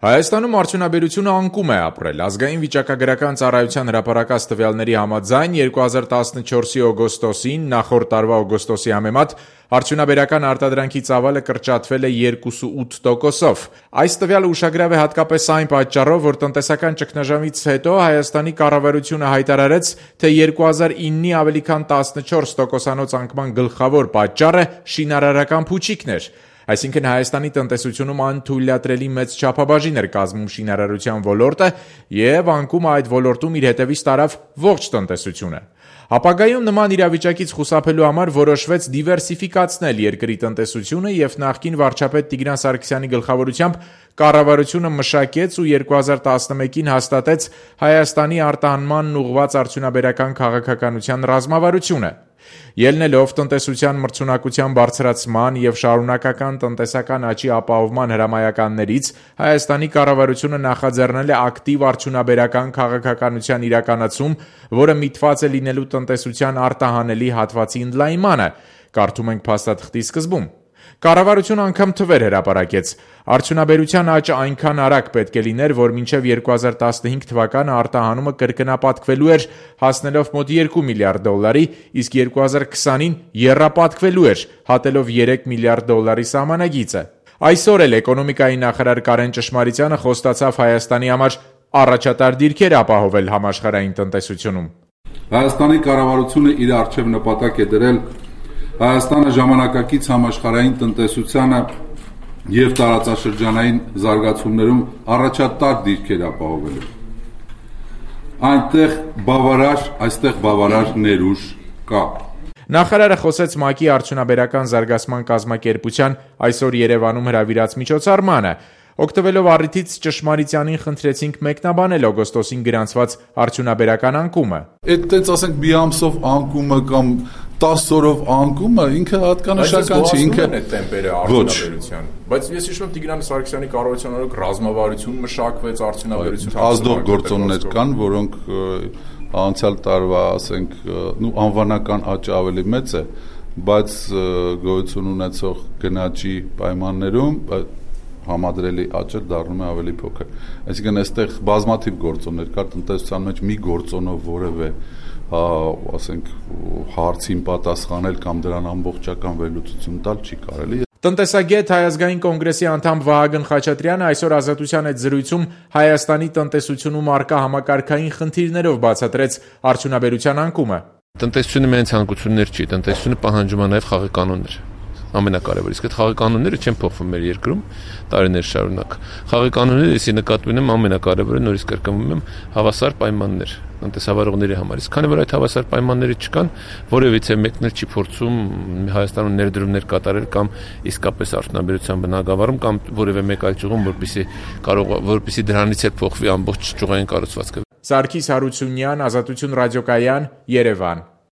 Հայաստանում արդյունաբերությունը անկում է ապրել։ Ազգային վիճակագրական ծառայության հրապարակած տվյալների համաձայն 2014-ի օգոստոսին նախորդ տարվա օգոստոսի համեմատ արդյունաբերական արտադրանքի ծավալը կրճատվել է 2.8%-ով։ Այս տվյալը ուշագրավ է հատկապես այն պատճառով, որ տնտեսական ճգնաժամից հետո Հայաստանի կառավարությունը հայտարարեց, թե 2009-ի ավելի քան 14% անկման գլխավոր պատճառը շինարարական փուչիկն էր։ Այսինքն Հայաստանի տնտեսությունում անթույլատրելի մեծ չափաբաժին էր կազմում շինարարության ոլորտը և անկումը այդ ոլորտում իր հետևից տարավ ողջ տնտեսությունը։ Ապագայում նման իրավիճակից խուսափելու համար որոշվեց դիվերսիֆիկացնել երկրի տնտեսությունը և նախկին վարչապետ Տիգրան Սարգսյանի գլխավորությամբ կառավարությունը մշակեց ու 2011-ին հաստատեց Հայաստանի արտահանմանն ուղղված արդյունաբերական քաղաքականության ռազմավարությունը։ Ելնելով տնտեսության մրցունակության բարձրացման և շարունակական տնտեսական աճի ապահովման հրամայականներից, Հայաստանի կառավարությունը նախաձեռնել է ակտիվ արդյունաբերական քաղաքականության իրականացում, որը միտված է լինելու տնտեսության արտահանելի հատվածի ընդլայնմանը, կարդում ենք փաստաթղթի սկզբում։ Կառավարությունը անգամ թվեր հրապարակեց. արդյունաբերության աճը այնքան արագ պետք է լիներ, որ մինչև 2015 թվականը արտահանումը կրկնապատկվելու էր, հասնելով մոտ $2 միլիարդ, իսկ 2020-ին եռապատկվելու էր, հատելով $3 միլիարդ սահմանագիծը։ Այսօր էլ էկոնոմիկայի նախարար Կարեն Ճշմարիտյանը խոստացավ Հայաստանի համար առաջատար դիրքեր ապահովել համաշխարհային տնտեսությունում։ Հայաստանի կառավարությունը իր առջև նպատակ է դրել Հայաստանը ժամանակակից համաշխարհային տնտեսությանը և տարածաշրջանային զարգացումներում առաջատար դիրքեր ապահովելու։ Այստեղ բավարար ներուժ կա։ Նախարարը խոսեց ՄԱԿ-ի արդյունաբերական զարգացման կազմակերպության այսօր Երևանում հրավիրած միջոցառմանը։ Օգտվելով առիթից Ճշմարիտյանին խնդրեցինք մեկնաբանել օգոստոսին գրանցված արդյունաբերական անկումը։ Այդտենց ասենք մի ամսով անկումը կամ 10 օրով անկումը ինքը հատկանշական չի, ինքը տեմպերը արդյունաբերության։ Բայց ես հիշում եմ Տիգրան Սարգսյանի կառավարության օրոք ռազմավարություն մշակվեց արդյունաբերության ազդող գործոններ կան, որոնք անցյալ տարվա, ասենք, անվանական աճը ավելի մեծ է, բայց գոյություն ունեցող գնաճի պայմաններում համադրելի աճը դառնում է ավելի փոքր։ Այսինքն այստեղ բազմաթիվ գործոններ կար, տնտեսության մեջ մի գործոնով որևէ ասենք հարցին պատասխանել կամ դրան ամբողջական վերլուծություն տալ չի կարելի։ Տնտեսագետ Հայ ազգային կոնգրեսի անդամ Վահագն Խաչատրյանը այսօր Ազատության հետ զրույցում Հայաստանի տնտեսությունում առկա համակարգային խնդիրներով բացատրեց արդյունաբերության անկումը։ Տնտեսությունը միայն ցանկություններ չի, տնտեսությունը պահանջում է նաև խաղի կանոններ։ Ամենակարևորը, իսկ այդ խաղի կանոնները չեն փոխվում մեր երկրում տարիներ շարունակ։ Խաղի կանոնները, если նկատի ունեմ, ամենակարևորը նորից կրկնում եմ, հավասար պայմաններ տնտեսավարողների համար։ Իսկ քանի որ այդ հավասար պայմանները չկան, որևիցե մեկն էլ չի փորձում Հայաստանում ներդրումներ կատարել կամ իսկապես արդյունաբերության բնագավառում կամ որևէ մեկ այլ ճյուղում, որպեսզի դրանից էլ փոխվի ամբողջ ճյուղային կառուցվածքը։ Սարգիս Հարությունյան, Ազատություն ռադիոկայան, Երևան։